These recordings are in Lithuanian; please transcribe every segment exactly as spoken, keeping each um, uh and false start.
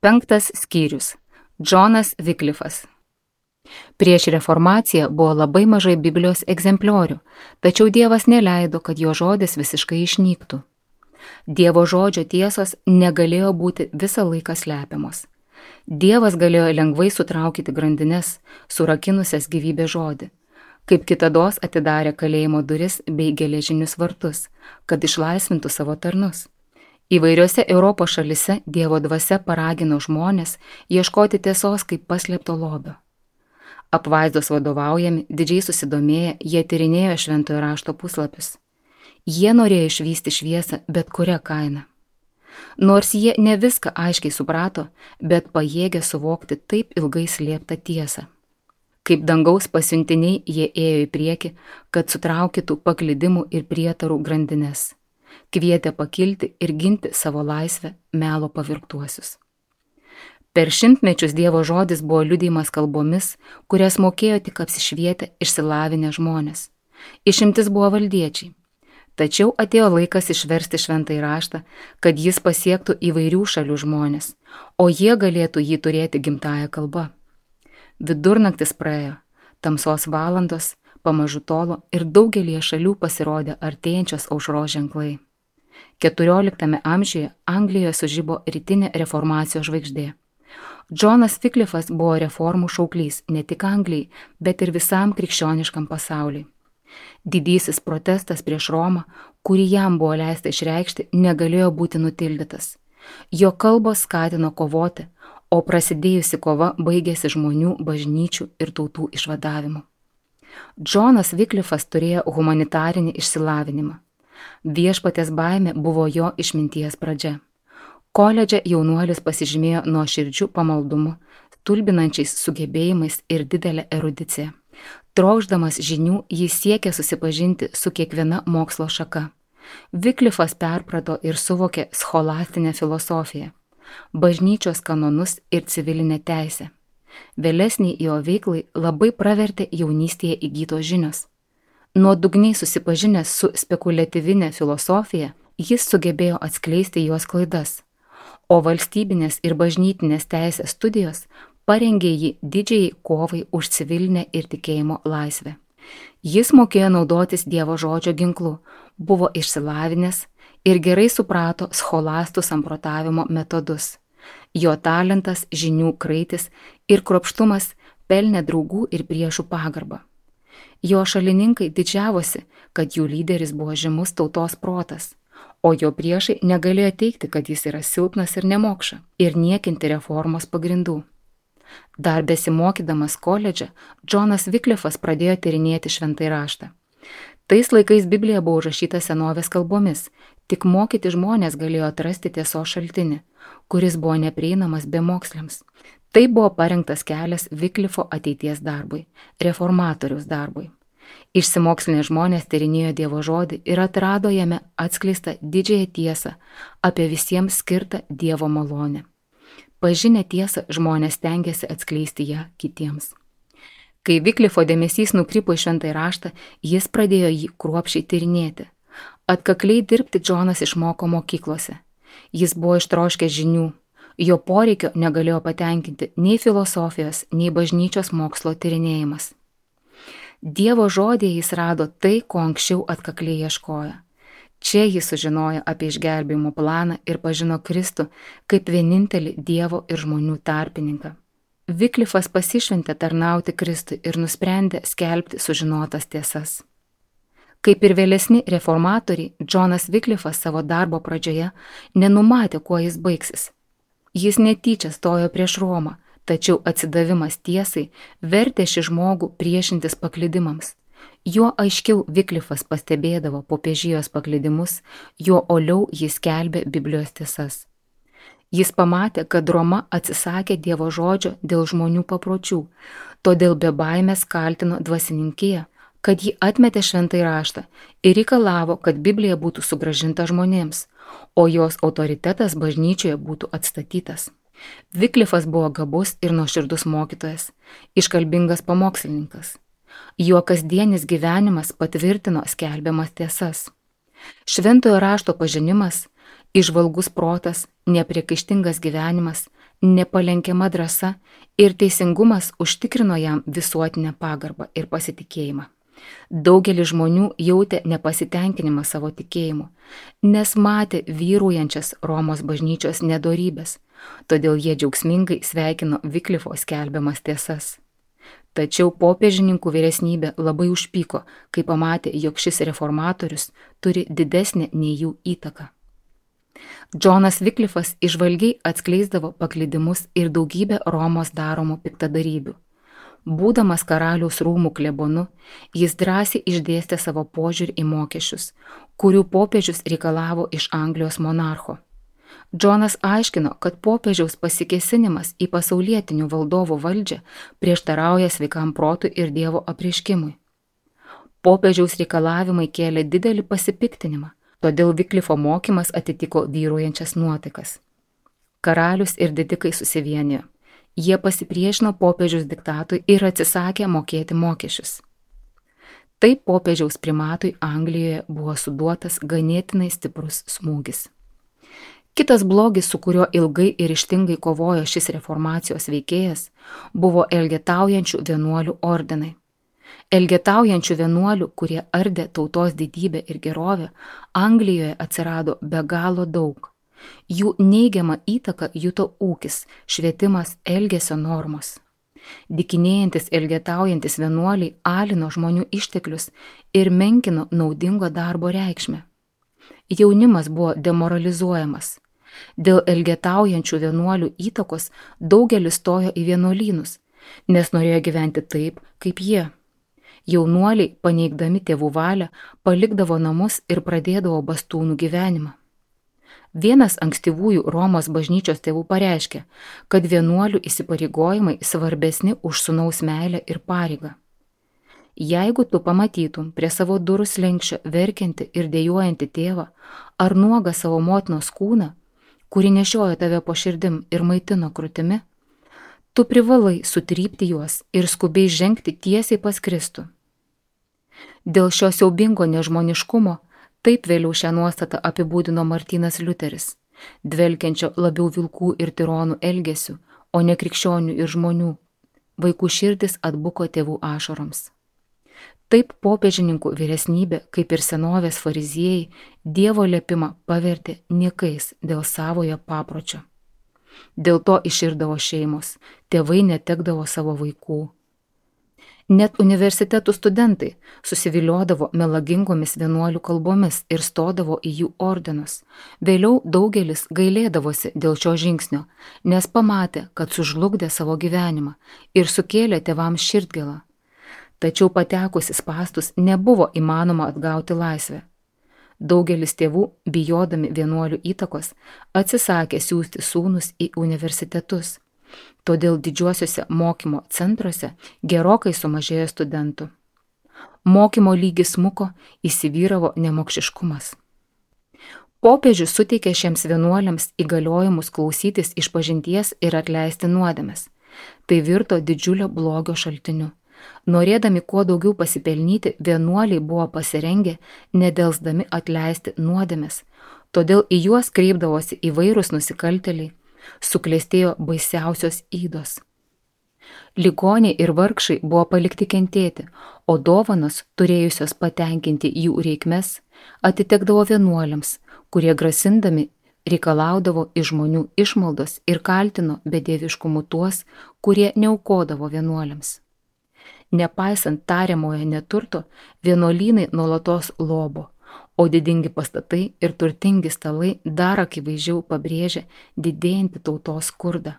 Penktas skyrius. Džonas Viklifas. Prieš reformaciją buvo labai mažai Biblijos egzempliorių, tačiau Dievas neleido, kad jo žodis visiškai išnyktų. Dievo žodžio tiesos negalėjo būti visą laiką slepiamos. Dievas galėjo lengvai sutraukyti grandines, surakinusias gyvybės žodį, kaip kitados atidarė kalėjimo duris bei geležinius vartus, kad išlaisvintų savo tarnus. Įvairiose Europos šalise Dievo dvasia paragino žmonės ieškoti tiesos kaip paslėpto lobio. Apvaizdos vadovaujami, didžiai susidomėję, jie tyrinėjo šventojo rašto puslapius. Jie norėjo išvysti šviesą bet kurią kainą. Nors jie ne viską aiškiai suprato, bet pajėgė suvokti taip ilgai slėptą tiesą. Kaip dangaus pasiuntiniai jie ėjo į priekį, kad sutraukytų paklydimų ir prietarų grandines. Kvietė pakilti ir ginti savo laisvę melo pavirktuosius. Per šimtmečius Dievo žodis buvo liudijimas kalbomis, kurias mokėjo tik apsišvietę, išsilavinę žmonės. Išimtis buvo valdiečiai. Tačiau atėjo laikas išversti šventąjį raštą, kad jis pasiektų įvairių šalių žmonės, o jie galėtų jį turėti gimtąją kalbą. Vidurnaktis praėjo, tamsos valandos pamažu tolo ir daugelie šalių pasirodė artėjančios aušros ženklai. keturioliktame amžiuje Anglijoje sužibo rytinė reformacijos žvaigždė. Džonas Viklifas buvo reformų šauklys ne tik Anglijai, bet ir visam krikščioniškam pasauliui. Didysis protestas prieš Romą, kurį jam buvo leista išreikšti, negalėjo būti nutildytas. Jo kalbos skatino kovoti, o prasidėjusi kova baigėsi žmonių, bažnyčių ir tautų išvadavimu. Džonas Viklifas turėjo humanitarinį išsilavinimą. Viešpaties baimė buvo jo išminties pradžia. Koledže jaunuolis pasižymėjo nuoširdžiu pamaldumu, stulbinančiais sugebėjimais ir didelę erudiciją. Trokšdamas žinių, jis siekė susipažinti su kiekviena mokslo šaka. Viklifas perprato ir suvokė scholastinę filosofiją, bažnyčios kanonus ir civilinę teisę. Vėlesniai jo veiklai labai pravertė jaunystėje įgytos žinios. Nuodugniai susipažinęs su spekuliatyvinė filosofija, jis sugebėjo atskleisti jos klaidas, o valstybinės ir bažnytinės teisės studijos parengė jį didžiai kovai už civilinę ir tikėjimo laisvę. Jis mokėjo naudotis Dievo žodžio ginklu, buvo išsilavinęs ir gerai suprato scholastų samprotavimo metodus. Jo talentas, žinių kraitis ir kruopštumas pelnė draugų ir priešų pagarbą. Jo šalininkai didžiavosi, kad jų lyderis buvo žymus tautos protas, o jo priešai negalėjo teigti, kad jis yra silpnas ir nemokša, ir niekinti reformos pagrindų. Dar besimokydamas koledže, Džonas Viklifas pradėjo tyrinėti šventąjį raštą. Tais laikais Biblija buvo užrašyta senovės kalbomis, tik mokyti žmonės galėjo atrasti tiesos šaltinį, kuris buvo neprieinamas bemoksliams. Tai buvo parengtas kelias Viklifo ateities darbui, reformatoriaus darbui. Išsimokslinę žmonės tyrinėjo Dievo žodį ir atrado jame atskleistą didžiąją tiesą apie visiems skirtą Dievo malonę. Pažinę tiesą žmonės stengiasi atskleisti ją kitiems. Kai Viklifo dėmesys nukrypo į šventąjį raštą, jis pradėjo jį kruopščiai tyrinėti. Atkakliai dirbti Džonas išmoko mokyklose. Jis buvo ištroškęs žinių. Jo poreikio negalėjo patenkinti nei filosofijos, nei bažnyčios mokslo tyrinėjimas. Dievo žodėje jis rado tai, ko anksčiau atkakliai ieškojo. Čia jis sužinojo apie išgelbėjimo planą ir pažino Kristų kaip vienintelį Dievo ir žmonių tarpininką. Viklifas pasišventė tarnauti Kristui ir nusprendė skelbti sužinotas tiesas. Kaip ir vėlesni reformatoriai, Džonas Viklifas savo darbo pradžioje nenumatė, kuo jis baigsis. Jis netyčia stojo prieš Romą, tačiau atsidavimas tiesai vertė šį žmogų priešintis paklydimams. Juo aiškiau Viklifas pastebėdavo popiežijos paklydimus, juo oliau jis skelbė Biblijos tiesas. Jis pamatė, kad Roma atsisakė Dievo žodžio dėl žmonių papročių, todėl be baimės kaltino dvasininkiją, kad ji atmetė šventąjį raštą ir reikalavo, kad Biblija būtų sugrąžinta žmonėms, o jos autoritetas bažnyčioje būtų atstatytas. Viklifas buvo gabus ir nuoširdus mokytojas, iškalbingas pamokslininkas. Jo kasdienis gyvenimas patvirtino skelbiamas tiesas. Šventojo rašto pažinimas, įžvalgus protas, nepriekaištingas gyvenimas, nepalenkiama drąsa ir teisingumas užtikrino jam visuotinę pagarbą ir pasitikėjimą. Daugelis žmonių jautė nepasitenkinimą savo tikėjimu, nes matė vyraujančias Romos bažnyčios nedorybės, todėl jie džiaugsmingai sveikino Vyklifo skelbiamas tiesas. Tačiau popiežininkų vyresnybė labai užpyko, kai pamatė, jog šis reformatorius turi didesnę nei jų įtaką. Džonas Vyklifas įžvalgiai atskleisdavo paklydimus ir daugybę Romos daromų piktadarybių. Būdamas karaliaus rūmų klebonu, jis drąsiai išdėstė savo požiūrį į mokesčius, kurių popiežius reikalavo iš Anglijos monarcho. Džonas aiškino, kad popiežiaus pasikėsinimas į pasaulietinių valdovų valdžią prieštarauja sveikam protui ir Dievo apreiškimui. Popiežiaus reikalavimai kėlė didelį pasipiktinimą, todėl Vyklifo mokymas atitiko vyraujančias nuotaikas. Karalius ir didikai susivienijo. Jie pasipriešino popiežiaus diktatui ir atsisakė mokėti mokesčius. Taip popiežiaus primatui Anglijoje buvo suduotas ganėtinai stiprus smūgis. Kitas blogis, su kuriuo ilgai ir ryžtingai kovojo šis reformacijos veikėjas, buvo elgetaujančių vienuolių ordinai. Elgetaujančių vienuolių, kurie ardė tautos didybę ir gerovę, Anglijoje atsirado be galo daug. Jų neigiamą įtaką juto ūkis, švietimas, elgesio normos. Dykinėjantis elgetaujantis vienuoliai alino žmonių išteklius ir menkino naudingo darbo reikšmę. Jaunimas buvo demoralizuojamas. Dėl elgetaujančių vienuolių įtakos daugelis stojo į vienuolynus, nes norėjo gyventi taip, kaip jie. Jaunuoliai, paneigdami tėvų valią, palikdavo namus ir pradėdavo bastūnų gyvenimą. Vienas ankstyvųjų Romos bažnyčios tėvų pareiškė, kad vienuolių įsipareigojimai svarbesni už sūnaus meilę ir pareigą. Jeigu tu pamatytum prie savo durų slenksčio verkiantį ir dejuojantį tėvą ar nuogą savo motinos kūną, kuri nešiojo tave po širdim ir maitino krūtimi, tu privalai sutrypti juos ir skubiai žengti tiesiai pas Kristų. Dėl šio siaubingo nežmoniškumo taip vėliau šią nuostatą apibūdino Martynas Liuteris, dvelkiančio labiau vilkų ir tironų elgesių, o ne krikščionių ir žmonių. Vaikų širdis atbuko tėvų ašaroms. Taip popiežininkų vyresnybė, kaip ir senovės fariziejai, Dievo liepimą pavertė niekais dėl savojo papročio. Dėl to iširdavo šeimos, tėvai netekdavo savo vaikų. Net universitetų studentai susiviliodavo melagingomis vienuolių kalbomis ir stodavo į jų ordinus. Vėliau daugelis gailėdavosi dėl šio žingsnio, nes pamatė, kad sužlugdė savo gyvenimą ir sukėlė tėvams širdgėlą. Tačiau patekusi spąstus nebuvo įmanoma atgauti laisvę. Daugelis tėvų, bijodami vienuolių įtakos, atsisakė siųsti sūnus į universitetus. Todėl didžiuosiuose mokymo centruose gerokai sumažėjo studentų. Mokymo lygis smuko, įsivyravo nemokšiškumas. Popiežius suteikė šiems vienuoliams įgaliojimus klausytis išpažinties ir atleisti nuodėmes. Tai virto didžiulio blogio šaltiniu. Norėdami kuo daugiau pasipelnyti, vienuoliai buvo pasirengę nedelsdami atleisti nuodėmes, todėl į juos kreipdavosi įvairūs nusikaltėliai, suklestėjo baisiausios ydos. Ligoniai ir vargšai buvo palikti kentėti, o dovanos, turėjusios patenkinti jų reikmes, atitekdavo vienuoliams, kurie grasindami reikalaudavo iš žmonių išmaldos ir kaltino bedieviškumu tuos, kurie neaukodavo vienuoliams. Nepaisant tariamojo neturto, vienuolynai nuolatos lobo, o didingi pastatai ir turtingi stalai dar akivaizdžiau pabrėžia didėjantį tautos skurdą.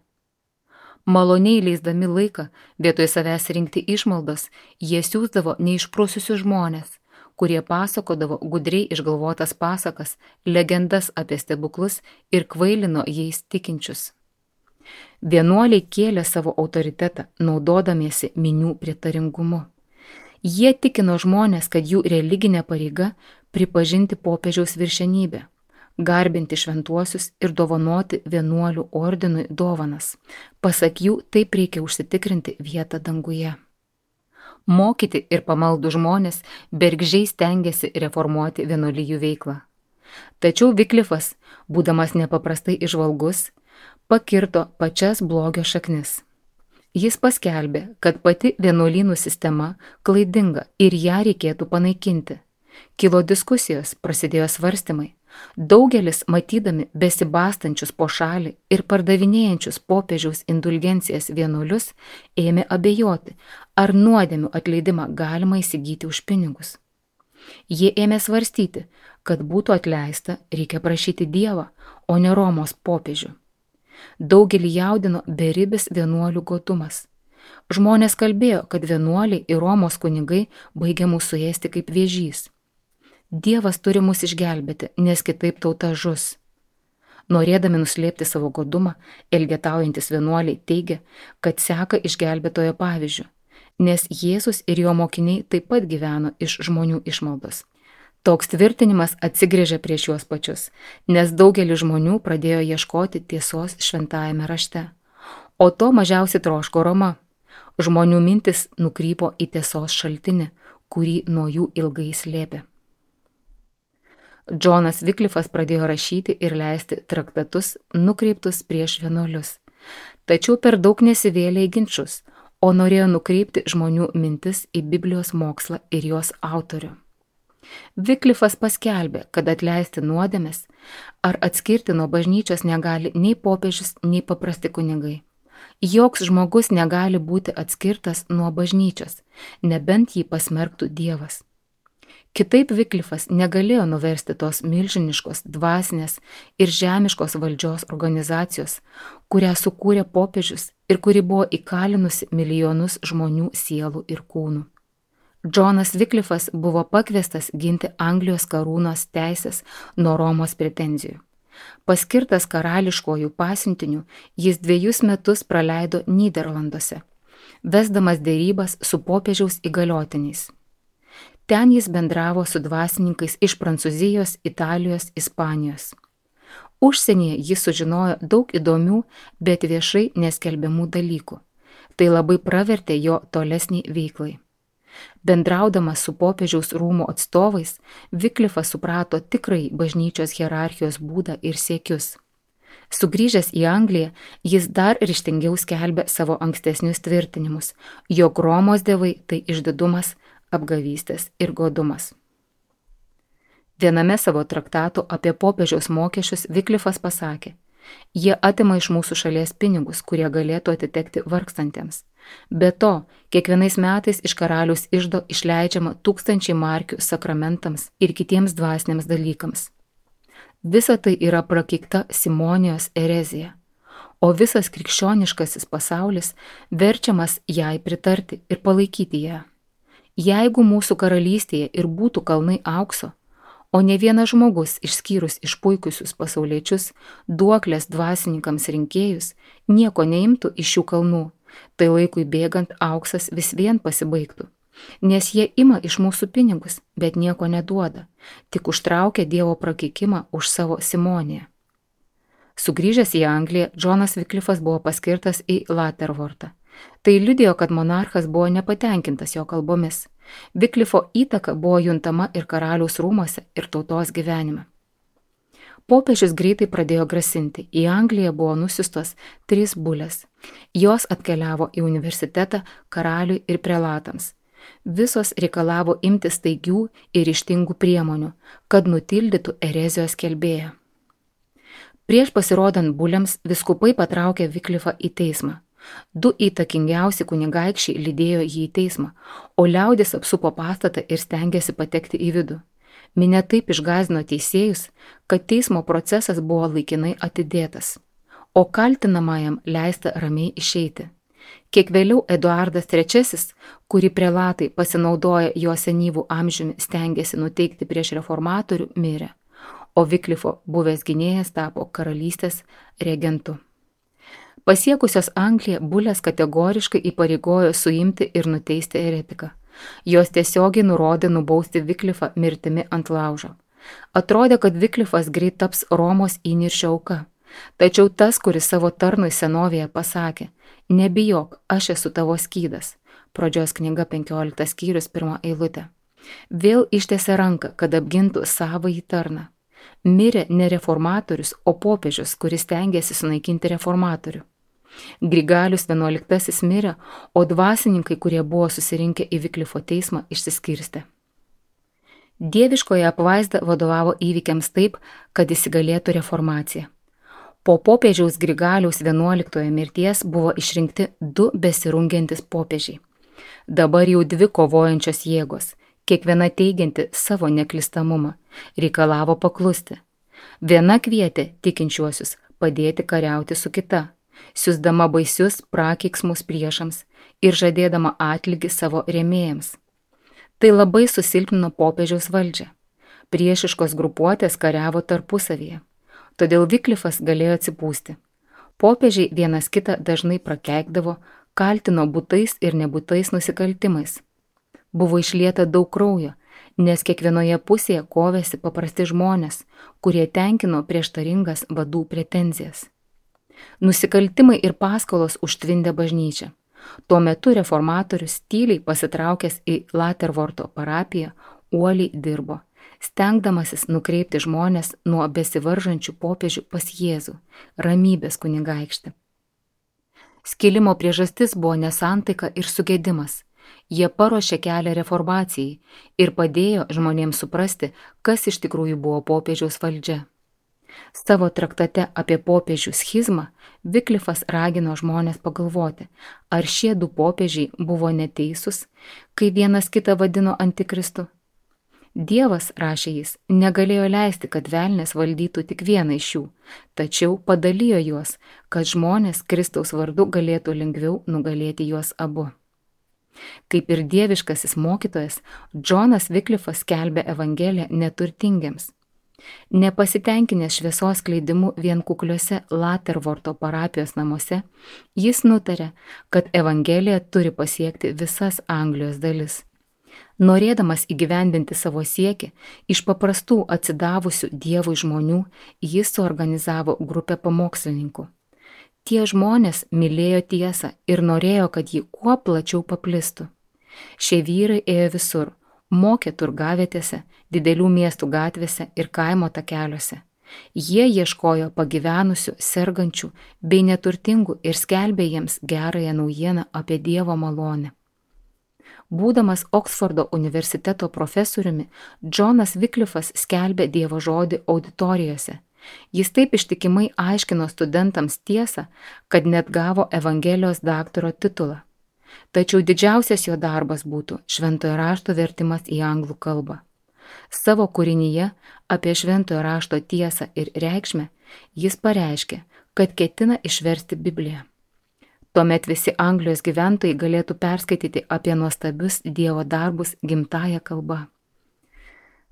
Maloniai leisdami laiką, vietoj savęs rinkti išmaldas, jie siųsdavo neišprususius žmonės, kurie pasakodavo gudriai išgalvotas pasakas, legendas apie stebuklus ir kvailino jais tikinčius. Vienuoliai kėlė savo autoritetą, naudodamiesi minių pritaringumu. Jie tikino žmonės, kad jų religinė pareiga pripažinti popiežiaus viršenybę, garbinti šventuosius ir dovanoti vienuolių ordinui dovanas. Pasak jų, taip reikia užsitikrinti vietą danguje. Mokyti ir pamaldų žmonės bergždžiai stengiasi reformuoti vienuolijų veiklą. Tačiau Vyklifas, būdamas nepaprastai įžvalgus, pakirto pačias blogio šaknis. Jis paskelbė, kad pati vienuolynų sistema klaidinga ir ją reikėtų panaikinti. Kilo diskusijos, prasidėjo svarstymai. Daugelis, matydami besibastančius po šalį ir pardavinėjančius popiežiaus indulgencijas vienuolius, ėmė abejoti, ar nuodėmių atleidimą galima įsigyti už pinigus. Jie ėmė svarstyti, kad būtų atleista, reikia prašyti Dievą, o ne Romos popiežių. Daugelį jaudino beribis vienuolių godumas. Žmonės kalbėjo, kad vienuoliai ir Romos kunigai baigia mūsų ėsti kaip vėžys. Dievas turi mus išgelbėti, nes kitaip tauta žus. Norėdami nuslėpti savo godumą, elgetaujantis vienuoliai teigia, kad seka išgelbėtojo pavyzdžiu, nes Jėzus ir jo mokiniai taip pat gyveno iš žmonių išmaldos. Toks tvirtinimas atsigrėžė prieš juos pačius, nes daugelis žmonių pradėjo ieškoti tiesos šventajame rašte. O to mažiausiai troško Roma. Žmonių mintis nukrypo į tiesos šaltinį, kurį nuo jų ilgai slėpė. Džonas Viklifas pradėjo rašyti ir leisti traktatus nukreiptus prieš vienuolius. Tačiau per daug nesivėlė į ginčus, o norėjo nukreipti žmonių mintis į Biblijos mokslą ir jos autorių. Viklifas paskelbė, kad atleisti nuodėmes ar atskirti nuo bažnyčios negali nei popiežius, nei paprasti kunigai. Joks žmogus negali būti atskirtas nuo bažnyčios, nebent jį pasmerktų Dievas. Kitaip Viklifas negalėjo nuversti tos milžiniškos dvasinės ir žemiškos valdžios organizacijos, kurią sukūrė popiežius ir kuri buvo įkalinusi milijonus žmonių sielų ir kūnų. Džonas Viklifas buvo pakviestas ginti Anglijos karūnos teisės nuo Romos pretenzijų. Paskirtas karališkojų pasiuntiniu, jis dviejus metus praleido Nyderlanduose, vesdamas dėrybas su popiežiaus įgaliotiniais. Ten jis bendravo su dvasininkais iš Prancūzijos, Italijos, Ispanijos. Užsienyje jis sužinojo daug įdomių, bet viešai neskelbiamų dalykų. Tai labai pravertė jo tolesnį veiklai. Bendraudamas su popiežiaus rūmų atstovais, Viklifas suprato tikrai bažnyčios hierarchijos būdą ir siekius. Sugrįžęs į Angliją, jis dar ryžtingiau skelbė savo ankstesnius tvirtinimus, jog Romos dievai tai išdidumas, apgavystės ir godumas. Viename savo traktatų apie popiežiaus mokesčius Viklifas pasakė, jie atima iš mūsų šalies pinigus, kurie galėtų atitekti vargstantiems. Be to, kiekvienais metais iš karaliaus iždo išleidžiama tūkstančiai markių sakramentams ir kitiems dvasiniams dalykams. Visa tai yra prakeikta Simonijos erezija, o visas krikščioniškasis pasaulis verčiamas jai pritarti ir palaikyti ją. Jeigu mūsų karalystėje ir būtų kalnai aukso, o ne vienas žmogus išskyrus išpuikusius pasauliečius, duoklės dvasininkams rinkėjus, nieko neimtų iš šių kalnų, tai laikui bėgant auksas vis vien pasibaigtų, nes jie ima iš mūsų pinigus, bet nieko neduoda, tik užtraukia Dievo prakeikimą už savo Simoniją. Sugrįžęs į Angliją, Džonas Viklifas buvo paskirtas į Laterwortą. Tai liudijo, kad monarchas buvo nepatenkintas jo kalbomis. Viklifo įtaka buvo juntama ir karaliaus rūmuose, ir tautos gyvenime. Popiežius greitai pradėjo grasinti. Į Angliją buvo nusiustos trys bulės. Jos atkeliavo į universitetą karaliui ir prelatams. Visos reikalavo imtis staigių ir ryžtingų priemonių, kad nutildytų erezijos skelbėją. Prieš pasirodant bulėms vyskupai patraukė Viklifą į teismą. Du įtakingiausi kunigaikščiai lydėjo jį į teismą, o liaudis apsupo pastatą ir stengėsi patekti į vidų. Minia taip išgąsdino teisėjus, kad teismo procesas buvo laikinai atidėtas, o kaltinamajam leista ramiai išeiti. Kiek vėliau Eduardas trečiasis, kurį prelatai pasinaudoję jo senyvų amžiumi stengėsi nuteikti prieš reformatorių, mirė, o Viklifo buvęs gynėjas tapo karalystės regentu. Pasiekusios Angliją, bulės kategoriškai įpareigojo suimti ir nuteisti eretiką. Jos tiesiogiai nurodė nubausti Viklifą mirtimi ant laužo. Atrodė, kad Viklifas greit taps Romos įniršio auka. Tačiau tas, kuris savo tarnui senovėje pasakė, nebijok, aš esu tavo skydas. Pradžios knyga penkioliktas skyrius pirma eilutė. Vėl ištiesė ranką, kad apgintų savąjį tarną. Mirė ne reformatorius, o popiežius, kuris stengiasi sunaikinti reformatorių. Grigalius vienuoliktasis mirė, o dvasininkai, kurie buvo susirinkę į Viklifo teismą, išsiskirstė. Dieviškoji apvaizda vadovavo įvykiams taip, kad įsigalėtų reformacija. Po popiežiaus Grigaliaus vienuoliktojo mirties buvo išrinkti du besirungiantis popiežiai. Dabar jau dvi kovojančios jėgos, kiekviena teigianti savo neklistamumą, reikalavo paklusti. Viena kvietė tikinčiuosius padėti kariauti su kita, siųsdama baisius prakeiksmus priešams ir žadėdama atlygį savo rėmėjams. Tai labai susilpnino popiežiaus valdžią. Priešiškos grupuotės kariavo tarpusavyje. Todėl Viklifas galėjo atsipūsti. Popiežiai vienas kitą dažnai prakeikdavo, kaltino būtais ir nebūtais nusikaltimais. Buvo išlieta daug kraujo, nes kiekvienoje pusėje kovėsi paprasti žmonės, kurie tenkino prieštaringas vadų pretenzijas. Nusikaltimai ir paskolos užtvindė bažnyčią. Tuo metu reformatorius tyliai pasitraukęs į Latervorto parapiją uoliai dirbo, stengdamasis nukreipti žmonės nuo besivaržančių popiežių pas Jėzų, ramybės kunigaikštį. Skilimo priežastis buvo nesantaika ir sugedimas. Jie paruošė kelią reformacijai ir padėjo žmonėms suprasti, kas iš tikrųjų buvo popiežiaus valdžia. Savo traktate apie popiežių schizmą Viklifas ragino žmonės pagalvoti, ar šie du popiežiai buvo neteisūs, kai vienas kitą vadino antikristu. Dievas, rašė jis, negalėjo leisti, kad velnias valdytų tik vieną iš jų, tačiau padalijo juos, kad žmonės Kristaus vardu galėtų lengviau nugalėti juos abu. Kaip ir dieviškasis mokytojas, Džonas Viklifas skelbė evangeliją neturtingiems. Nepasitenkinęs šviesos skleidimu vien kukliuose Latervorto parapijos namuose, jis nutarė, kad evangelija turi pasiekti visas Anglijos dalis. Norėdamas įgyvendinti savo siekį, iš paprastų atsidavusių Dievui žmonių, jis suorganizavo grupę pamokslininkų. Tie žmonės mylėjo tiesą ir norėjo, kad ji kuo plačiau paplistų. Šie vyrai ėjo visur, mokė turgavietėse, didelių miestų gatvėse ir kaimo takeliuose. Jie ieškojo pagyvenusių, sergančių bei neturtingų ir skelbė jiems gerąją naujieną apie Dievo malonę. Būdamas Oksfordo universiteto profesoriumi, Džonas Viklifas skelbė Dievo žodį auditorijose. Jis taip ištikimai aiškino studentams tiesą, kad net gavo Evangelijos daktaro titulą. Tačiau didžiausias jo darbas būtų šventojo rašto vertimas į anglų kalbą. Savo kūrinyje apie šventojo rašto tiesą ir reikšmę jis pareiškė, kad ketina išversti Bibliją. Tuomet visi Anglijos gyventojai galėtų perskaityti apie nuostabius Dievo darbus gimtąja kalba.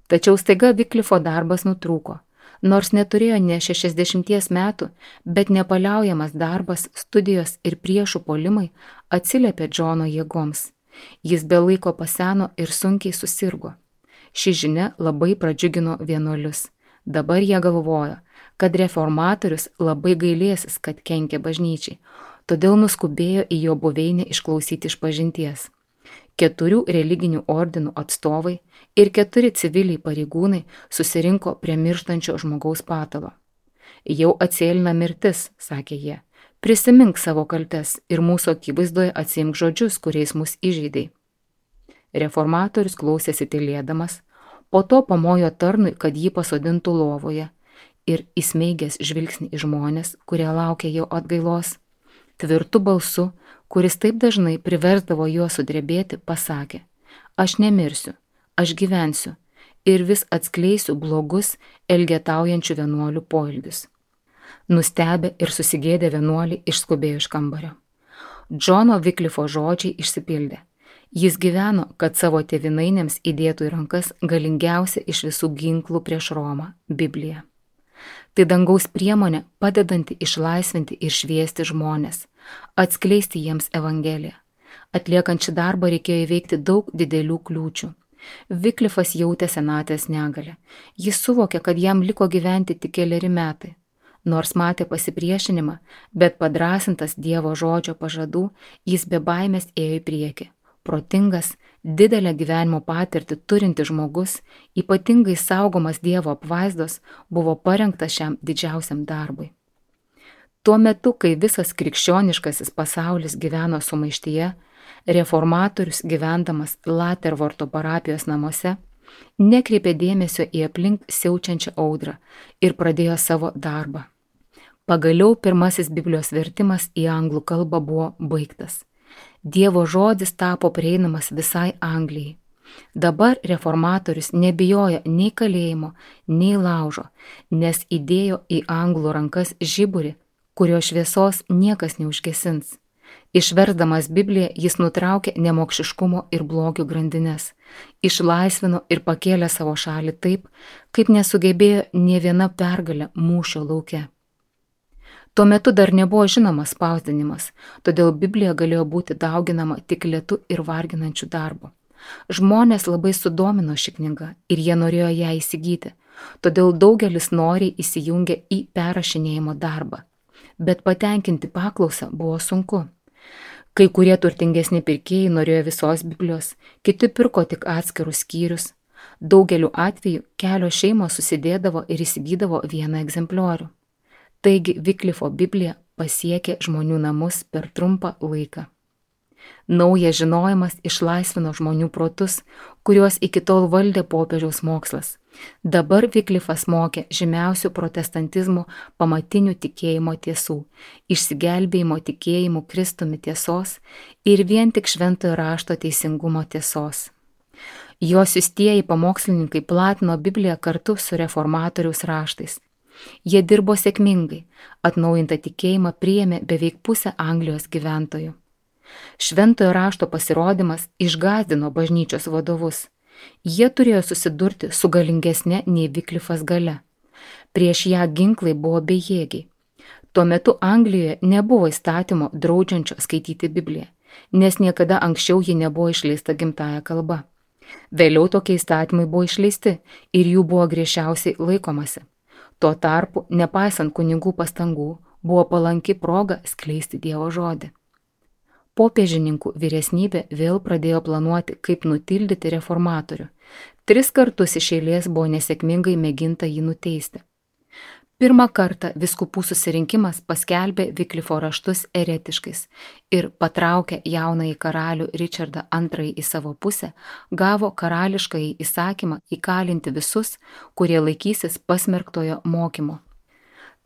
Tačiau staiga Viklifo darbas nutrūko. Nors neturėjo ne šešiasdešimties metų, bet nepaliaujamas darbas, studijos ir priešų puolimai atsiliepė Džono jėgoms. Jis be laiko paseno ir sunkiai susirgo. Ši žinia labai pradžiugino vienuolius. Dabar jie galvojo, kad reformatorius labai gailėsis, kad kenkė bažnyčiai, todėl nuskubėjo į jo buveinę išklausyti išpažinties. Keturių religinių ordinų atstovai ir keturi civiliai pareigūnai susirinko prie mirštančio žmogaus patalo. Jau atsėlina mirtis, sakė jie, prisimink savo kaltes ir mūsų akivaizdoje atsiimk žodžius, kuriais mus įžeidei. Reformatorius klausėsi tylėdamas, po to pamojo tarnui, kad jį pasodintų lovoje ir įsmeigęs žvilgsnį į žmonės, kurie laukė jo atgailos, tvirtu balsu, kuris taip dažnai priversdavo juos sudrebėti, pasakė, aš nemirsiu, aš gyvensiu ir vis atskleisiu blogus elgetaujančių vienuolių poelgius. Nustebę ir susigėdę vienuoliai išskubėjo iš kambario. Džono Viklifo žodžiai išsipildė. Jis gyveno, kad savo tėvynainėms įdėtų į rankas galingiausia iš visų ginklų prieš Romą – Bibliją. Tai dangaus priemonė padedanti išlaisvinti ir šviesti žmonės, atskleisti jiems Evangeliją. Atliekant šį darbą reikėjo įveikti daug didelių kliūčių. Viklifas jautė senatvės negalę. Jis suvokė, kad jam liko gyventi tik keleri metai. Nors matė pasipriešinimą, bet padrasintas Dievo žodžio pažadų, jis be baimės ėjo į priekį. Protingas, didelę gyvenimo patirtį turinti žmogus, ypatingai saugomas Dievo apvaizdos, buvo parengtas šiam didžiausiam darbui. Tuo metu, kai visas krikščioniškasis pasaulis gyveno sumaištyje, reformatorius, gyvendamas Latervorto parapijos namuose, nekreipė dėmesio į aplink siaučiančią audrą ir pradėjo savo darbą. Pagaliau pirmasis Biblijos vertimas į anglų kalbą buvo baigtas. Dievo žodis tapo prieinamas visai Anglijai. Dabar reformatorius nebijojo nei kalėjimo, nei laužo, nes įdėjo į anglų rankas žiburį, kurio šviesos niekas neužgesins. Išversdamas Bibliją, jis nutraukė nemokšiškumo ir blogio grandines, išlaisvino ir pakėlė savo šalį taip, kaip nesugebėjo nė viena pergalė mūšio lauke. Tuo metu dar nebuvo žinomas spausdinimas, todėl Biblija galėjo būti dauginama tik lėtu ir varginančiu darbu. Žmonės labai sudomino ši knyga ir jie norėjo ją įsigyti, todėl daugelis noriai įsijungė į perrašinėjimo darbą, bet patenkinti paklausą buvo sunku. Kai kurie turtingesni pirkėjai norėjo visos Biblijos, kiti pirko tik atskirus skyrius. Daugeliu atveju kelios šeimos susidėdavo ir įsigydavo vieną egzempliorių. Taigi Wyclifo Biblija pasiekė žmonių namus per trumpą laiką. Naujas žinojimas išlaisvino žmonių protus, kuriuos iki tol valdė popiežiaus mokslas. Dabar Wyclifas mokė žymiausių protestantizmo pamatinių tikėjimo tiesų, išsigelbėjimo tikėjimų Kristumi tiesos ir vien tik šventojo rašto teisingumo tiesos. Jo siųstieji pamokslininkai platino Bibliją kartu su reformatoriaus raštais. Jie dirbo sėkmingai, atnaujintą tikėjimą priėmė beveik pusę Anglijos gyventojų. Šventojo rašto pasirodymas išgąsdino bažnyčios vadovus. Jie turėjo susidurti su galingesne nei Wyclifas galia. Prieš ją ginklai buvo bejėgiai. Tuo metu Anglijoje nebuvo įstatymo draudžiančio skaityti Bibliją, nes niekada anksčiau ji nebuvo išleista gimtąja kalba. Vėliau tokie įstatymai buvo išleisti ir jų buvo griežčiausiai laikomasi. Tuo tarpu, nepaisant kunigų pastangų, buvo palanki proga skleisti Dievo žodį. Popiežininkų vyresnybė vėl pradėjo planuoti, kaip nutildyti reformatorių. Tris kartus iš eilės buvo nesėkmingai mėginta jį nuteisti. Pirmą kartą vyskupų susirinkimas paskelbė Wyclifo raštus eretiškais ir patraukę jaunąjį karalių Richardą antrąjį į savo pusę, gavo karališkąjį įsakymą įkalinti visus, kurie laikysis pasmerktojo mokymo.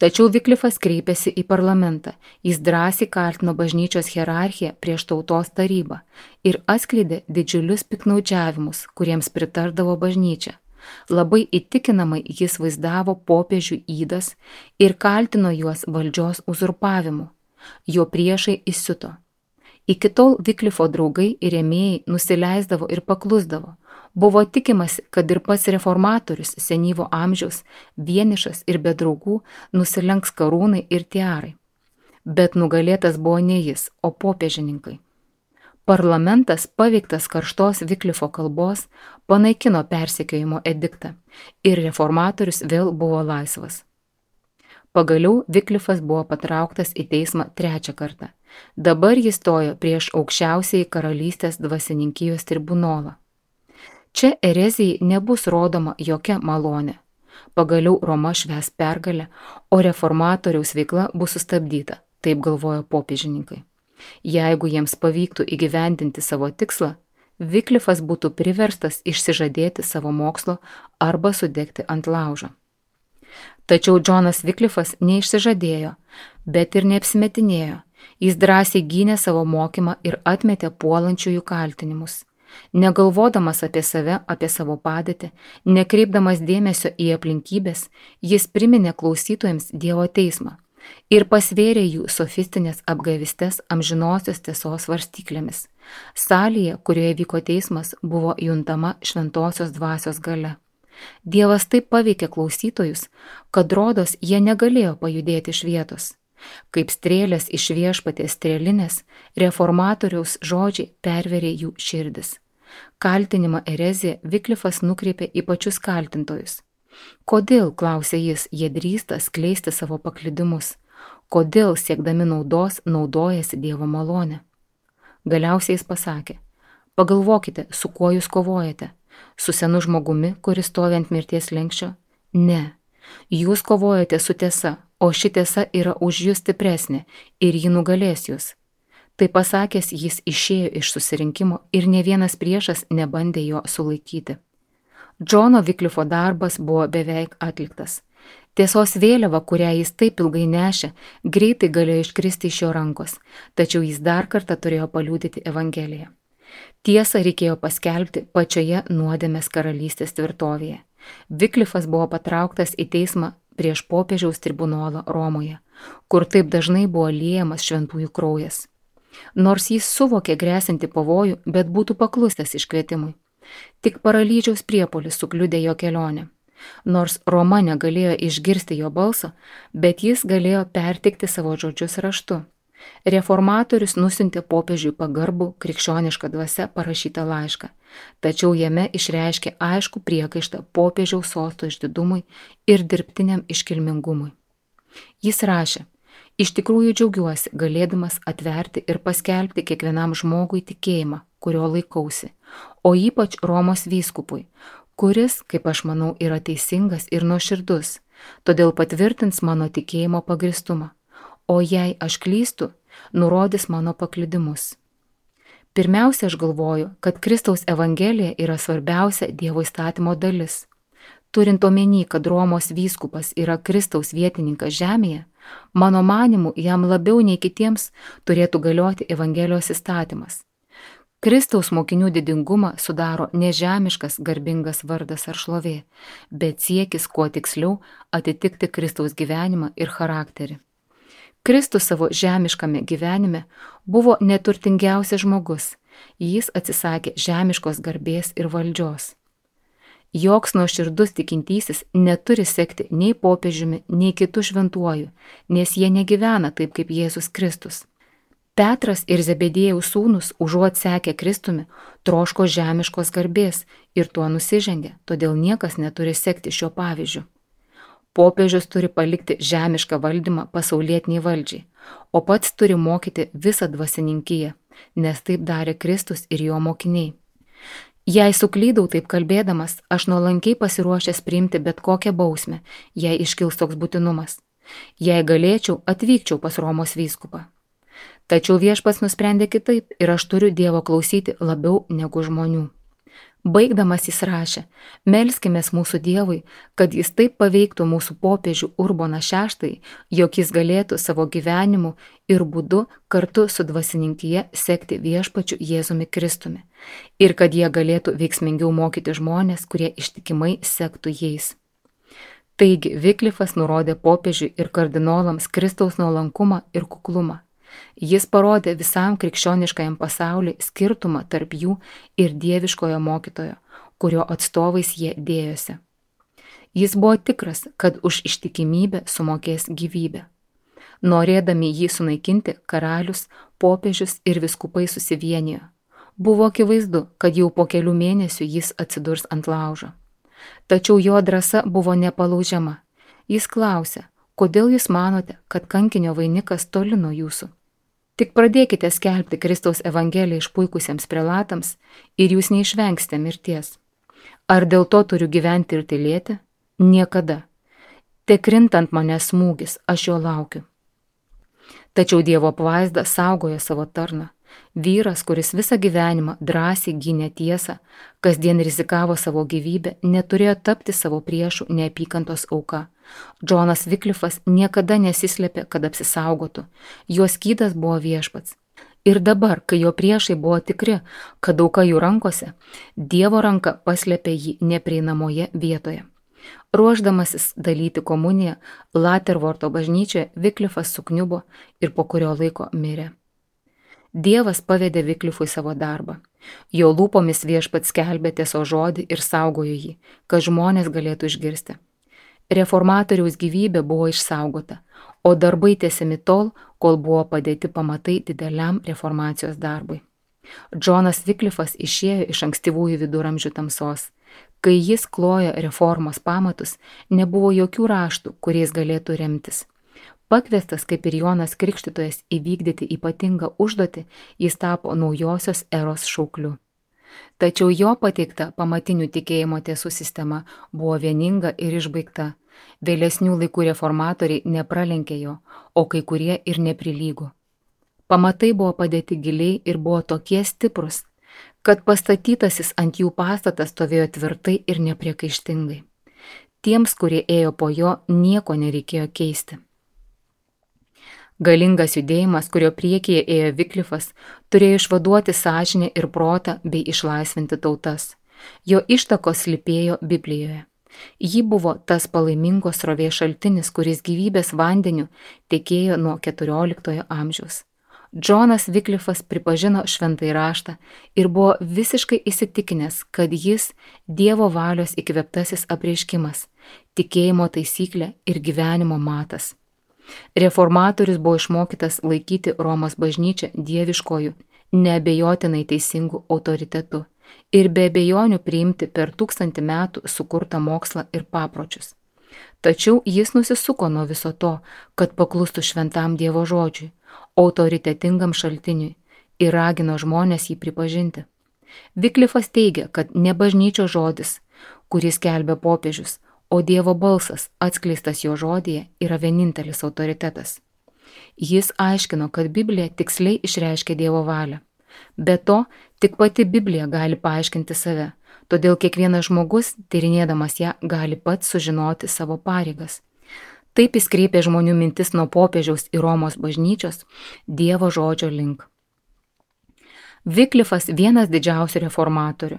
Tačiau Wyclifas kreipėsi į parlamentą, jis drąsiai kaltino bažnyčios hierarchiją prieš tautos tarybą ir atskleidė didžiulius piknaudžiavimus, kuriems pritardavo bažnyčia. Labai įtikinamai jis vaizdavo popiežių ydas ir kaltino juos valdžios uzurpavimu. Jo priešai įsiuto. Iki tol Wyclifo draugai ir rėmėjai nusileisdavo ir paklusdavo. Buvo tikimasi, kad ir pats reformatorius senyvo amžiaus, vienišas ir be draugų, nusilenks karūnai ir tiarai. Bet nugalėtas buvo ne jis, o popiežininkai. Parlamentas, paveiktas karštos Wyclifo kalbos, panaikino persekiojimo ediktą ir reformatorius vėl buvo laisvas. Pagaliau Wyclifas buvo patrauktas į teismą trečią kartą. Dabar jis stojo prieš aukščiausiąjį karalystės dvasininkijos tribunolą. Čia erezijai nebus rodoma jokia malonė. Pagaliau Roma švęs pergalę, o reformatoriaus veikla bus sustabdyta, taip galvojo popiežininkai. Jeigu jiems pavyktų įgyvendinti savo tikslą, Wyclifas būtų priverstas išsižadėti savo mokslo arba sudegti ant laužo. Tačiau Džonas Wyclifas neišsižadėjo, bet ir neapsimetinėjo. Jis drąsiai gynė savo mokymą ir atmetė puolančiųjų kaltinimus. Negalvodamas apie save, apie savo padėtį, nekreipdamas dėmesio į aplinkybės, jis priminė klausytojams Dievo teismą ir pasvėrė jų sofistinės apgavystės amžinosios tiesos svarstyklėmis. Salėje, kurioje vyko teismas, buvo juntama šventosios dvasios galia. Dievas taip paveikė klausytojus, kad rodos jie negalėjo pajudėti iš vietos. Kaip strėlės iš viešpaties strėlinės, reformatoriaus žodžiai perverė jų širdis. Kaltinimą ereziją Wyclifas nukreipė į pačius kaltintojus. Kodėl, klausė jis, jie drįsta skleisti savo paklydimus? Kodėl, siekdami naudos, naudojasi Dievo malonę? Galiausiai jis pasakė, Pagalvokite, su kuo jūs kovojate. Su senu žmogumi, kuris stovi ant mirties slenksčio? Ne. Jūs kovojate su tiesa, o ši tiesa yra už jūs stipresnė ir ji nugalės jūs. Tai pasakęs, jis išėjo iš susirinkimo ir ne vienas priešas nebandė jo sulaikyti. Džono Viklifo darbas buvo beveik atliktas. Tiesos vėliava, kurią jis taip ilgai nešė, greitai galėjo iškristi iš jo rankos, tačiau jis dar kartą turėjo paliudyti Evangeliją. Tiesą reikėjo paskelbti pačioje nuodėmės karalystės tvirtovėje. Viklifas buvo patrauktas į teismą prieš popiežiaus tribunolą Romoje, kur taip dažnai buvo liejamas šventųjų kraujas. Nors jis suvokė grėsinti pavojų, bet būtų paklusęs iškvietimui. Tik paralyžiaus priepuolis sukliudė jo kelionę. Nors Roma negalėjo išgirsti jo balso, bet jis galėjo perteikti savo žodžius raštu. Reformatorius nusintė popiežiui pagarbų krikščionišką dvasią parašytą laišką, tačiau jame išreiškė aišku priekaištą popiežiaus sosto išdidumui ir dirbtiniam iškilmingumui. Jis rašė: iš tikrųjų džiaugiuosi, galėdamas atverti ir paskelbti kiekvienam žmogui tikėjimą, kurio laikausi, o ypač Romos vyskupui, kuris, kaip aš manau, yra teisingas ir nuoširdus, todėl patvirtins mano tikėjimo pagristumą, o jei aš klystu, nurodys mano paklydimus. Pirmiausia, aš galvoju, kad Kristaus Evangelija yra svarbiausia Dievo įstatymo dalis. Turint omeny, kad Romos vyskupas yra Kristaus vietininkas žemėje, mano manimu, jam labiau nei kitiems turėtų galioti Evangelijos įstatymas. Kristaus mokinių didingumą sudaro nežemiškas garbingas vardas ar šlovė, bet siekis kuo tiksliau atitikti Kristaus gyvenimą ir charakterį. Kristus savo žemiškame gyvenime buvo neturtingiausias žmogus, jis atsisakė žemiškos garbės ir valdžios. Joks nuoširdus tikintysis neturi sekti nei popiežiumi, nei kitų šventuoju, nes jie negyvena taip kaip Jėzus Kristus. Petras ir Zebedėjaus sūnus, užuot sekę Kristumi, troško žemiškos garbės ir tuo nusižengė, todėl niekas neturi sekti šio pavyzdžiu. Popiežius turi palikti žemišką valdymą pasaulietiniai valdžiai, o pats turi mokyti visą dvasininkiją, nes taip darė Kristus ir jo mokiniai. Jei suklydau taip kalbėdamas, aš nuolankiai pasiruošęs priimti bet kokią bausmę, jei iškils toks būtinumas. Jei galėčiau, atvykčiau pas Romos vyskupą. Tačiau viešpats nusprendė kitaip ir aš turiu Dievo klausyti labiau negu žmonių. Baigdamas jis rašė: melskimės mūsų Dievui, kad jis taip paveiktų mūsų popiežių Urboną šeštąjį, jog jis galėtų savo gyvenimu ir būdu kartu su dvasininkija sekti viešpačiu Jėzumi Kristumi ir kad jie galėtų veiksmingiau mokyti žmonės, kurie ištikimai sektų jais. Taigi Viklifas nurodė popiežiui ir kardinolams Kristaus nuolankumą ir kuklumą. Jis parodė visam krikščioniškajam pasauliui skirtumą tarp jų ir dieviškojo mokytojo, kurio atstovais jie dėjosi. Jis buvo tikras, kad už ištikimybę sumokės gyvybę. Norėdami jį sunaikinti, karalius, popiežius ir viskupai susivienijo. Buvo akivaizdu, kad jau po kelių mėnesių jis atsidurs ant laužo. Tačiau jo drąsa buvo nepalaužiama. Jis klausė: kodėl jūs manote, kad kankinio vainikas toli nuo jūsų? Tik pradėkite skelbti Kristaus Evangeliją išpuikusiems prelatams ir jūs neišvengsite mirties. Ar dėl to turiu gyventi ir tylėti? Niekada. Te krintant mane smūgis, aš jo laukiu. Tačiau Dievo apvaizda saugojo savo tarną. Vyras, kuris visą gyvenimą drąsiai gynė tiesą, kasdien rizikavo savo gyvybę, neturėjo tapti savo priešų neapykantos auka. Džonas Viklifas niekada nesislėpė, kad apsisaugotų. Jo skydas buvo viešpats. Ir dabar, kai jo priešai buvo tikri, kad auka jų rankose, Dievo ranka paslėpė jį neprieinamoje vietoje. Ruošdamasis dalyti komuniją Latervorto bažnyčioje, Viklifas sukniubo ir po kurio laiko mirė. Dievas pavedė Viklifui savo darbą. Jo lūpomis viešpats skelbė tiesos žodį ir saugojo jį, kad žmonės galėtų išgirsti. Reformatoriaus gyvybė buvo išsaugota, o darbai tęsiami tol, kol buvo padėti pamatai dideliam reformacijos darbui. Džonas Viklifas išėjo iš ankstyvųjų viduramžių tamsos. Kai jis klojo reformos pamatus, nebuvo jokių raštų, kuriais galėtų remtis. Pakviestas kaip ir Jonas Krikštytojas įvykdyti ypatingą užduotį, jis tapo naujosios eros šaukliu. Tačiau jo pateikta pamatinių tikėjimo tiesų sistema buvo vieninga ir išbaigta. Vėlesnių laikų reformatoriai nepralenkė jo, o kai kurie ir neprilygo. Pamatai buvo padėti giliai ir buvo tokie stiprus, kad pastatytasis ant jų pastatas stovėjo tvirtai ir nepriekaištingai. Tiems, kurie ėjo po jo, nieko nereikėjo keisti. Galingas judėjimas, kurio priekyje ėjo Viklifas, turėjo išvaduoti sąžinę ir protą bei išlaisvinti tautas. Jo ištakos slypėjo Biblijoje. Ji buvo tas palaimingos srovės šaltinis, kuris gyvybės vandeniu tekėjo nuo keturioliktojo amžiaus. Džonas Viklifas pripažino šventąjį raštą ir buvo visiškai įsitikinęs, kad jis Dievo valios įkvėptasis apreiškimas, tikėjimo taisyklė ir gyvenimo matas. Reformatorius buvo išmokytas laikyti Romos bažnyčią dieviškojų, neabejotinai teisingų autoritetų ir be abejonių priimti per tūkstantį metų sukurtą mokslą ir papročius. Tačiau jis nusisuko nuo viso to, kad paklustų šventam Dievo žodžiui, autoritetingam šaltiniui ir ragino žmonės jį pripažinti. Viklifas teigia, kad ne bažnyčios žodis, kurį skelbia popiežius, o Dievo balsas, atskleistas jo žodyje, yra vienintelis autoritetas. Jis aiškino, kad Biblija tiksliai išreiškia Dievo valią. Be to, tik pati Biblija gali paaiškinti save, todėl kiekvienas žmogus, tyrinėdamas ją, gali pats sužinoti savo pareigas. Taip jis kreipė žmonių mintis nuo popiežiaus į Romos bažnyčios Dievo žodžio link. Viklifas vienas didžiausių reformatorių.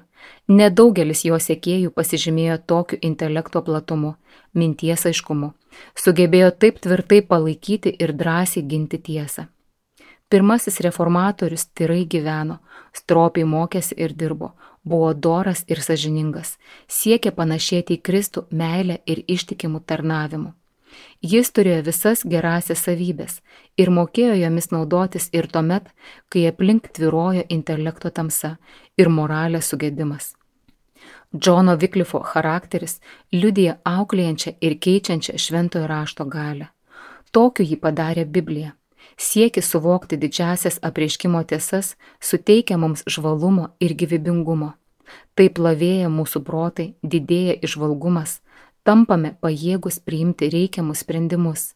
Nedaugelis jo sekėjų pasižymėjo tokiu intelekto platumu, minties aiškumu, sugebėjo taip tvirtai palaikyti ir drąsiai ginti tiesą. Pirmasis reformatorius tyrai gyveno, stropiai mokėsi ir dirbo, buvo doras ir sąžiningas, siekė panašėti į Kristų meilę ir ištikimų tarnavimu. Jis turėjo visas gerasias savybės ir mokėjo jomis naudotis ir tuomet, kai aplink tvyrojo intelekto tamsa ir moralės sugedimas. Džono Viklifo charakteris liudija auklėjančią ir keičiančią šventojo rašto galią. Tokiu jį padarė Biblija. Siekis suvokti didžiasias apreiškimo tiesas suteikia mums žvalumo ir gyvybingumo. Taip lavėja mūsų protai, didėja įžvalgumas, tampame pajėgus priimti reikiamus sprendimus.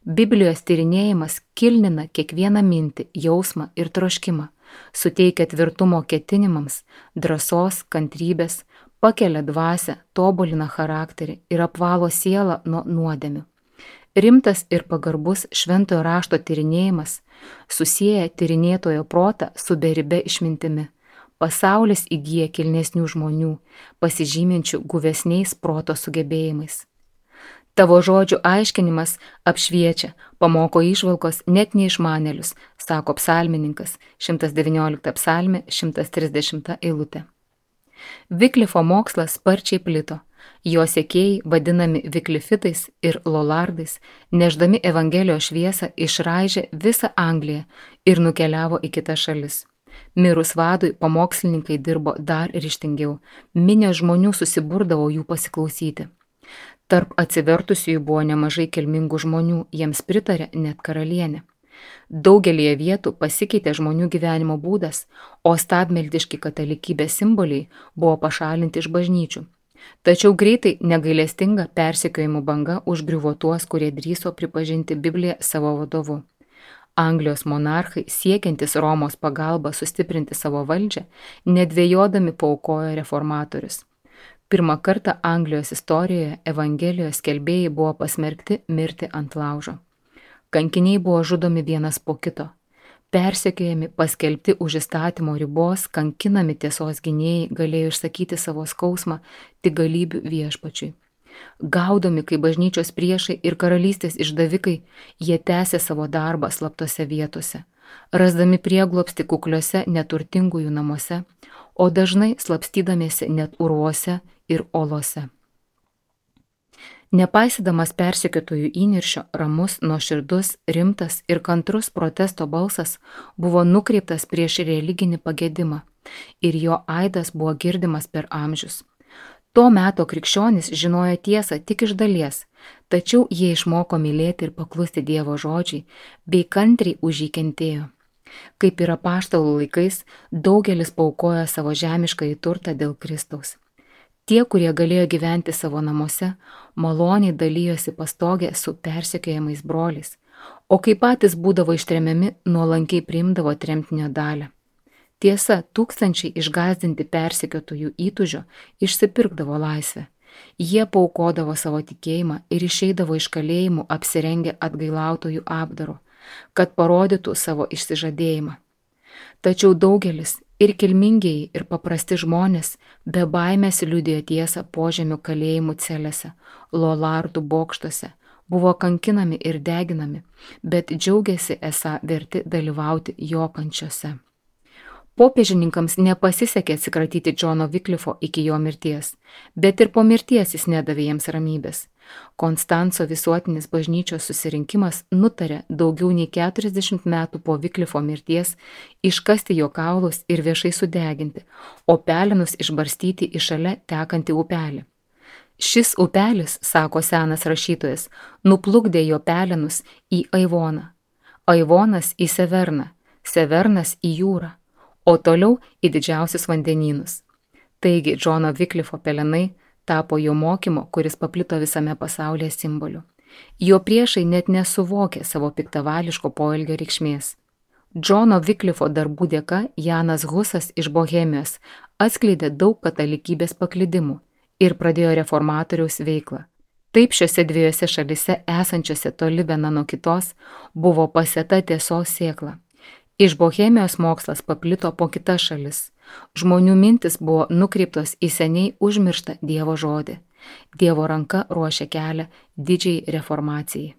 Biblijos tyrinėjimas kilnina kiekvieną mintį, jausmą ir troškimą, suteikia tvirtumo ketinimams, drąsos, kantrybės, pakelia dvasią, tobulina charakterį ir apvalo sielą nuo nuodėmių. Rimtas ir pagarbus šventojo rašto tyrinėjimas susieja tyrinėtojo protą su beribe išmintimi. Pasaulis įgyja kilnesnių žmonių, pasižyminčių guvesniais proto sugebėjimais. Tavo žodžių aiškinimas apšviečia, pamoko įžvalgos net neišmanėlius, sako psalmininkas, šimtas devyniolikta psalmė, šimtas trisdešimta eilutė. Viklifo mokslas sparčiai plito. Jo sekėjai, vadinami viklifitais ir lolardais, neždami Evangelijos šviesą, išraižė visą Angliją ir nukeliavo į kitas šalis. Mirus vadui, pamokslininkai dirbo dar ryžtingiau, minė žmonių susiburdavo jų pasiklausyti. Tarp atsivertusiųjų buvo nemažai kilmingų žmonių, jiems pritarė net karalienė. Daugelėje vietų pasikeitė žmonių gyvenimo būdas, o stabmeldiški katalikybės simboliai buvo pašalinti iš bažnyčių. Tačiau greitai negailestinga persekiojimų banga užgriuvo tuos, kurie drįso pripažinti Bibliją savo vadovu. Anglijos monarchai, siekiantis Romos pagalba sustiprinti savo valdžią, nedvejodami paaukojo reformatorius. Pirmą kartą Anglijos istorijoje Evangelijos skelbėjai buvo pasmerkti mirti ant laužo. Kankiniai buvo žudomi vienas po kito. Persekiojami, paskelbti už įstatymo ribos, kankinami tiesos gynėjai galėjo išsakyti savo skausmą tik galybių viešpačiui. Gaudomi kaip bažnyčios priešai ir karalystės išdavikai, jie tęsė savo darbą slaptose vietose, rasdami prieglobstį kukliuose neturtingųjų namuose, o dažnai slapstydamiesi net urvuose ir olose. Nepaisydamas persekiotojų įniršio, ramus, nuoširdus, rimtas ir kantrus protesto balsas buvo nukreiptas prieš religinį pagedimą ir jo aidas buvo girdimas per amžius. To meto krikščionys žinojo tiesą tik iš dalies, tačiau jie išmoko mylėti ir paklusti Dievo žodžiai, bei kantriai už jį kentėjo. Kaip ir apaštalų laikais, daugelis paaukojo savo žemiškąjį turtą dėl Kristaus. Tie, kurie galėjo gyventi savo namuose, maloniai dalyjosi pastogę su persekiojamais broliais, o kai patys būdavo ištremiami, nuolankiai priimdavo tremtinio dalį. Tiesa, tūkstančiai išgąsdinti persekiotojų įtūžio išsipirkdavo laisvę. Jie paaukodavo savo tikėjimą ir išeidavo iš kalėjimų apsirengę atgailautojų apdaru, kad parodytų savo išsižadėjimą. Tačiau daugelis, ir kilmingieji, ir paprasti žmonės, be baimės liudijo tiesą požemių kalėjimų celėse, lolardų bokštuose, buvo kankinami ir deginami, bet džiaugiasi esą verti dalyvauti jo kančiose. Popiežininkams nepasisekė atsikratyti Džono Viklifo iki jo mirties, bet ir po mirties jis nedavė jiems ramybės. Konstanco visuotinis bažnyčios susirinkimas nutarė daugiau nei keturiasdešimt metų po Viklifo mirties iškasti jo kaulus ir viešai sudeginti, o pelenus išbarstyti į šalia tekantį upelį. Šis upelis, sako senas rašytojas, nuplukdė jo pelenus į Aivoną, Aivonas į Severną, Severnas į jūrą, o toliau į didžiausius vandenynus. Taigi Džono Viklifo pelenai tapo jo mokymo, kuris paplito visame pasaulyje simboliu. Jo priešai net nesuvokė savo piktavališko poelgio reikšmės. Džono Viklifo darbų dėka Janas Husas iš Bohemijos atskleidė daug katalikybės paklydimų ir pradėjo reformatoriaus veiklą. Taip šiose dviejose šalise esančiose toli viena nuo kitos buvo pasėta tiesos sėkla. Iš Bohemijos mokslas paplito po kitas šalis. Žmonių mintis buvo nukreiptos į seniai užmirštą Dievo žodį. Dievo ranka ruošia kelią didžiai reformacijai.